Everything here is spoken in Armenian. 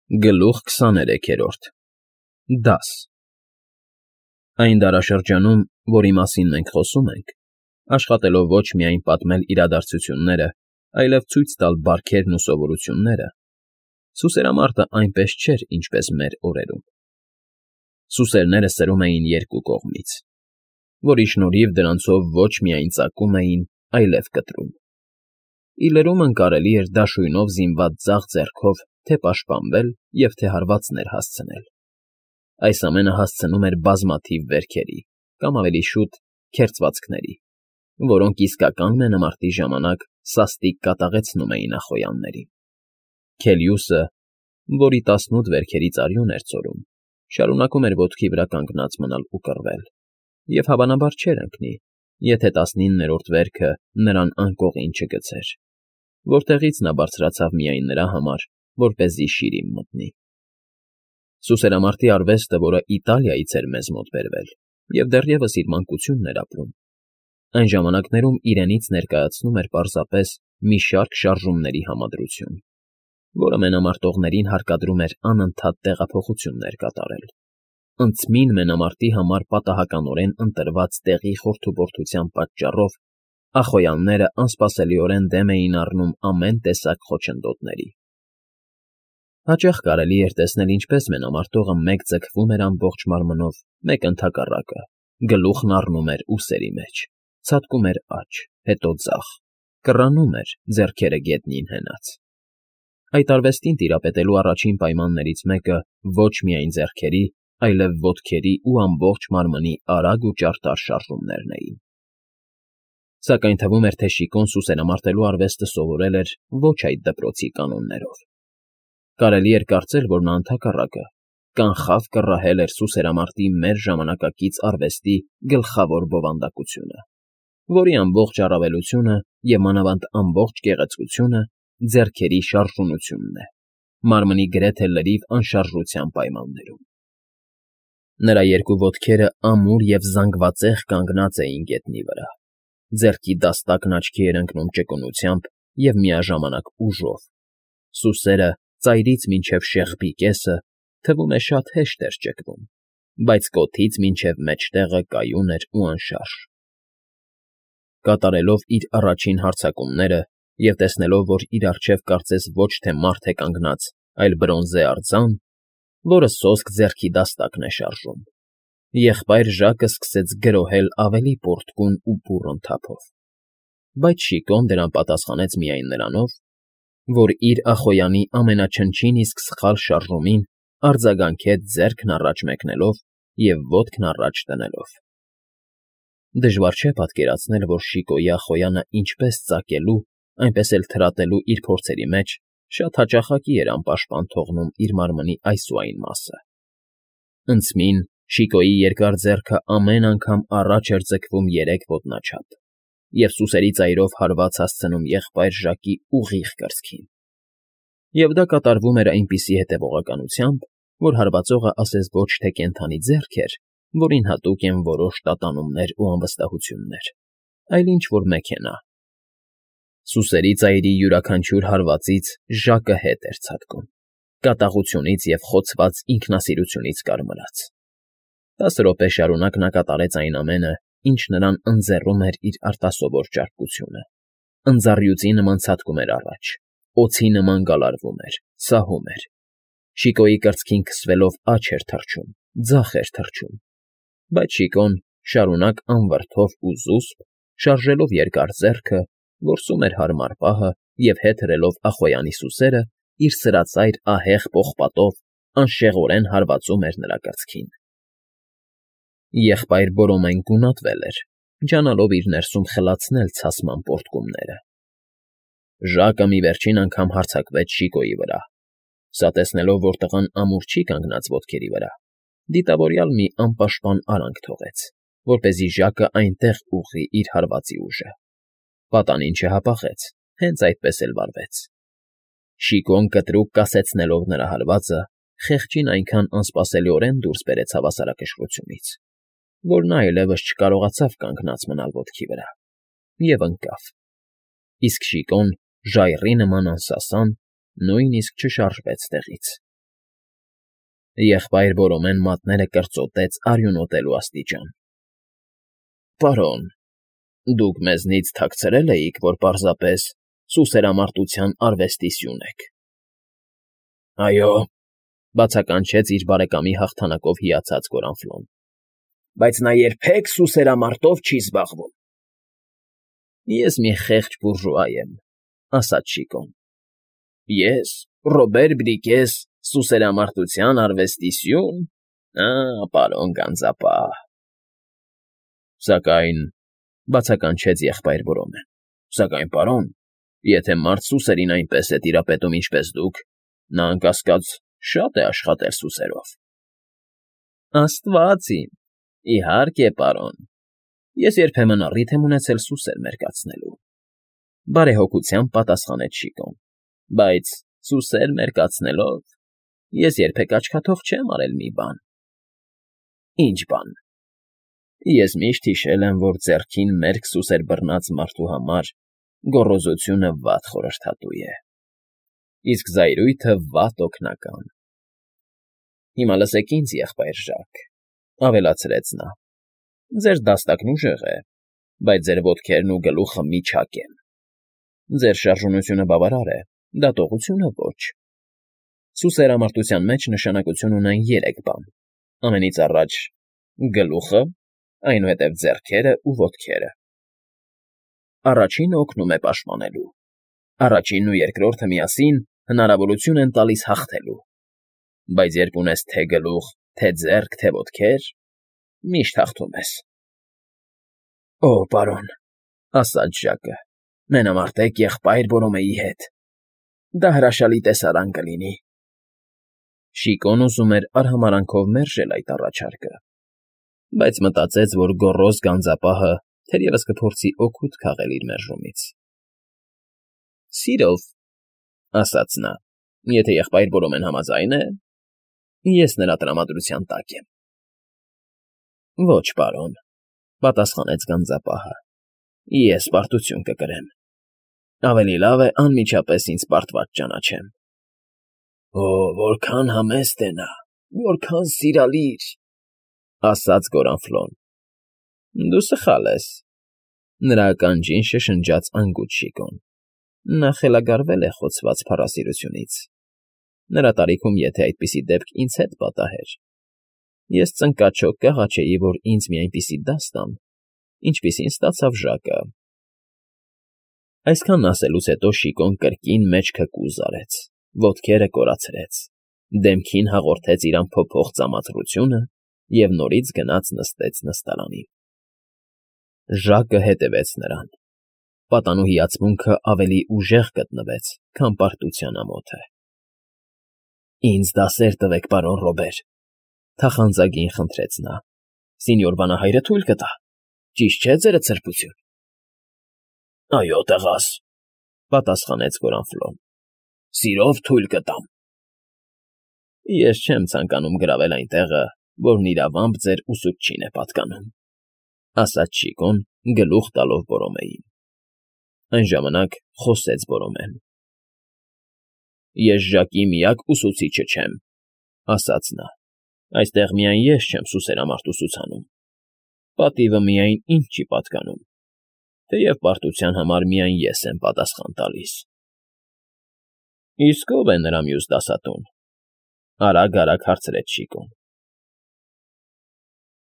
Գլուխ 23 Դաս Այն դարաշրջանում, որի մասին մենք խոսում ենք, աշխատելով ոչ միայն պատմել իրադարձությունները, այլև ցույց տալ բարքերն ու սովորությունները, սուսերամարտը այնպես չէր, ինչպես մեր օրերում։ Սուսերները սրում էին երկու կողմից, որի շնորհիվ դրանցով ոչ միայն ծակում էին, այլև կտրում։ Ի լրումն կարելի էր դաշույնով զինված ձախ ձեռքով թե պաշտպանվել և թե հարվածներ հասցնել։ Այս ամենը հասցնում էր բազմաթիվ վերքերի, կամ ավելի շուտ քերծվածքների, որոնք իսկական մենամարտի ժամանակ սաստիկ կատաղեցնում էին ախոյաններին։ Քելիուսը, որի 18 վերքերից արյուն էր ծորում, շարունակում էր ոտքի վրա կանգնած մնալ ու կռվել, և հավանաբար չէր ընկնի, եթե 19-րդ վերքը նրան անկողին չգցեր, որտեղից նա բարձրացավ միայն նրա համար, որպեսզի շիրիմ մտնի։ Սուսերամարտի արվեստը, որը Իտալիայից էր մեզ մոտ բերվել և դեռևս իր մանկությունն էր ապրում, այն ժամանակներում իրենից ներկայացնում էր պարզապես մի շարք շարժումների համադրություն, որը մենամարտողներին հարկադրում էր անընդհատ տեղափոխություններ կատարել, ընդմին մենամարտի համար պատահականորեն ընտրված տեղի խորդուբորդության պատճառով ախոյանները անսպասելիորեն դեմ էին առնում ամեն տեսակ խոչընդոտների։ Հաճախ կարելի էր տեսնել, ինչպես մենամարտողը մեկ ձգվում էր ամբողջ մարմնով, մեկ ընդհակառակը, գլուխն առնում էր ուսերի մեջ, ցատկում էր աջ, հետո ձախ, կռանում էր, ձեռքերը գետնին հենած։ Այդ արվեստին տիրապետելու առաջին պայմաններից մեկը ոչ միայն ձեռքերի, այլև ոտքերի ու ամբողջ մարմնի արագ ու ճարտար շարժումներն էին։ Սակայն թվում էր, թե Շիկոն սուսերամարտելու արվեստը սովորել էր ոչ այդ դպրոցի կանոններով։ Կարելի էր կարծել, որ նա ընդհակառակը կանխավ կռահել էր սուսերամարտի մեր ժամանակակից արվեստի գլխավոր բովանդակությունը, որի ամբողջ առավելությունը և մանավանդ ամբողջ գեղեցկությունը ձեռքերի շարժունությունն է, մարմնի գրեթե լրիվ անշարժության պայմաններում։ Նրա երկու ոտքերը ամուր և զանգվածեղ կանգնած էին գետնի վրա, ձեռքի դաստակն աչքի էր ընկնում ճկունությամբ և միաժամանակ ուժով, սուսերը ծայրից մինչև շեղբի կեսը, թվում է, շատ հեշտ էր ճկվում, բայց կոթից մինչև մեջտեղը կայուն էր ու անշարժ։ Կատարելով իր առաջին հարձակումները և տեսնելով, որ իր առջև կարծես ոչ թե մարդ է կանգնած, այլ բրոնզե արձան, որը սոսկ ձեռքի դաստակն է շարժում, եղբայր Ժակը սկսեց գրոհել ավելի պոռթկուն ու բուռն թափով։ Բայց Շիկոն դրան պատասխանեց միայն նրանով, որ իր ախոյանի ամենաչնչին իսկ սխալ շարժումին արձագանքեց ձեռքն առաջ մեկնելով և ոտքն առաջ դնելով։ Դժվար չէ պատկերացնել, որ Շիկոյի ախոյանը ինչպես ծակելու, այնպես էլ թրատելու իր փորձերի մեջ շատ հաճախակի էր անպաշտպան թողնում իր մարմնի այս ու այն մասը։ Ընդմին Շիկոյի երկար ձեռքը ամեն անգամ առաջ էր ձգվում 3 ոտնաչափ և սուսերի ծայրով հարված հասցնում եղբայր Ժակի ուղիղ կրծքին։ Եվ դա կատարվում էր այնպիսի հետևողականությամբ, որ հարվածողը ասես ոչ թե կենդանի ձեռք էր, որին հատուկ են որոշ տատանումներ ու անվստահություններ, այլ ինչ֊որ մեքենա։ Սուսերի ծայրի յուրաքանչյուր հարվածից Ժակը հետ էր ցատկում, կատաղությունից և խոցված ինքնասիրությունից կարմրած։ 10 րոպե շարունակ նա կատարեց այն ամենը, ինչ նրան ընձեռում էր իր արտասովոր ճարպկությունը, ընձառյուծի նման ցատկում էր առաջ, օձի նման գալարվում էր, սահում էր։ Շիկոյի կրծքին քսվելով աջ էր թռչում, ձախ էր թռչում, բայց Շիկոն շարունակ անվրդով ու զուսպ, շարժելով երկար ձեռքը, որսում էր հարմար պահը և հետ հրելով ախոյանի սուսերը, իր սրածայր ահեղ պողպատով անշեղորեն հարվածում էր նրա կրծքին։ Եղբայր Բորոմեն գունատվել էր, ջանալով իր ներսում խլացնել ցասման պոռթկումները։ Ժակը մի վերջին անգամ հարձակվեց Շիկոյի վրա։ Սա տեսնելով, որ տղան ամուր չի կանգնած ոտքերի վրա, դիտավորյալ մի անպաշտպան արանք թողեց, որպեսզի Ժակը այնտեղ ուղղի իր հարվածի ուժը։ Պատանին չհապաղեց, հենց այդպես էլ վարվեց։ Շիկոն կտրուկ կասեցնելով նրա հարվածը, խեղճին այնքան անսպասելիորեն դուրս բերեց հավասարակշռությունից, որ նա այլևս չկարողացավ կանգնած մնալ ոտքի վրա և ընկավ, իսկ Շիկոն, ժայռի նման անսասան, նույնիսկ չշարժվեց տեղից։ Եղբայր Բորոմեն մատները կրծոտեց արյունոտելու աստիճան։ Պարոն, դուք մեզնից թաքցրել էիք, որ պարզապես սուսերամարտության արվեստի սյուն եք։ Այո, բացականչեց իր բարեկամի հաղթանակով հիացած Գորանֆլոն, բայց նա երբեք սուսերամարտով չի զբաղվում։ Ես մի խեղճ բուրժուա եմ, ասաց Շիկոն։ Ես, Ռոբեր Բրիկես, սուսերամարտության արվեստի սյուն, պարոն գանձապահ։ Սակայն, բացականչեց եղբայր Բորոմեն, սակայն, պարոն, եթե մարդ սուսերին այնպես է տիրապետում, ինչպես դուք, նա անկասկած շատ է աշխատել սուսերով։ Աստված իմ, իհարկե, պարոն, ես երբեմն առիթ եմ ունեցել սուսեր մերկացնելու, բարեհոգությամբ պատասխանեց Շիկոն, բայց սուսեր մերկացնելով ես երբեք աչքաթող չեմ արել մի բան։ Ինչ բան։ Ես միշտ հիշել եմ, որ ձեռքին մերկ սուսեր բռնած մարդու համար գոռոզությունը վատ խորհրդատու է, իսկ զայրույթը վատ օգնական։ Հիմա լսեք ինձ, եղբայր Ժակ, ավելացրեց նա. ձեր դաստակն ուժեղ է, բայց ձեր ոտքերն ու գլուխը միջակ են։ Ձեր շարժունությունը բավարար է, դատողությունը ոչ։ Սուսերամարտության մեջ նշանակություն ունեն 3 բան. ամենից առաջ գլուխը, այնուհետև ձեռքերը ու ոտքերը։ Առաջինը օգնում է պաշտպանելու։ Առաջինն ու երկրորդը միասին հնարավորություն են տալիս հաղթելու։ Բայց երբ ունես թե գլուխ, թե ձեռք, թե ոտքեր, միշտ հաղթում ես։ Օ, պարոն, ասաց Ժակը, մենամարտեք եղբայր Բորոմեի հետ։ Դա հրաշալի տեսարան կլինի։ Շիկոն ուզում էր արհամարանքով մերժել այդ առաջարկը, բայց մտածեց, որ գոռոզ գանձապահը թերևս կփորձի օգուտ քաղել իր մերժումից։ Սիրով, ասաց նա, եթե եղբայր Բորոմեն համաձայն է, ես նրա տրամադրության տակ եմ։ Ոչ, պարոն, պատասխանեց գանձապահը, ես պարտություն կկրեմ։ Ավելի լավ է անմիջապես ինձ պարտված ճանաչեմ։ Օ, որքան համեստ է նա, որքան սիրալիր, ասաց Գորանֆլոն։ Դու սխալ ես, նրա ականջին շշնջաց անգութ Շիկոն։ Նա խելագարվել է խոցված փառասիրությունից։ Նրա տարիքում, եթե այդպիսի դեպք ինձ հետ պատահեր, ես ծնկաչոք կհաչեի, որ ինձ մի այնպիսի դաս տան, ինչպիսին ստացավ Ժակը։ Այսքանն ասելուց հետո Շիկոն կրկին մեջքը կուզ արեց, ոտքերը կորացրեց, դեմքին հաղորդեց իր անփոփոխ ծամածրությունը և նորից գնաց նստեց նստարանին։ Ժակը հետևեց նրան։ Պատանու հիացմունքը ավելի ուժեղ գտնվեց, քան պարտության ամոթը։ Ինձ դասեր տվեք, պարոն Ռոբեր, թախանձագին խնդրեց նա։ Սինյոր վանահայրը թույլ կտա, ճիշտ չէ ձերդ սրբություն։ Այո, տղաս, պատասխանեց Գորանֆլոն, սիրով թույլ կտամ։ Ես չեմ ցանկանում գրավել այն տեղը, որն իրավամբ ձեր ուսուցչին է պատկանում, ասաց Շիկոն, գլուխ տալով Բորոմեին։ Այն ժամանակ խոսեց Բորոմեն։ Ես Ժակի միակ ուսուցիչը չեմ, ասաց նա։ Այստեղ միայն ես չեմ սուսերամարտ ուսուցանում։ Պատիվը միայն ինձ չի պատկանում, թեև պարտության համար միայն ես եմ պատասխան տալիս։ Իսկ ո՞վ է նրա մյուս դասատուն, արագ հարցրեց Շիկոն։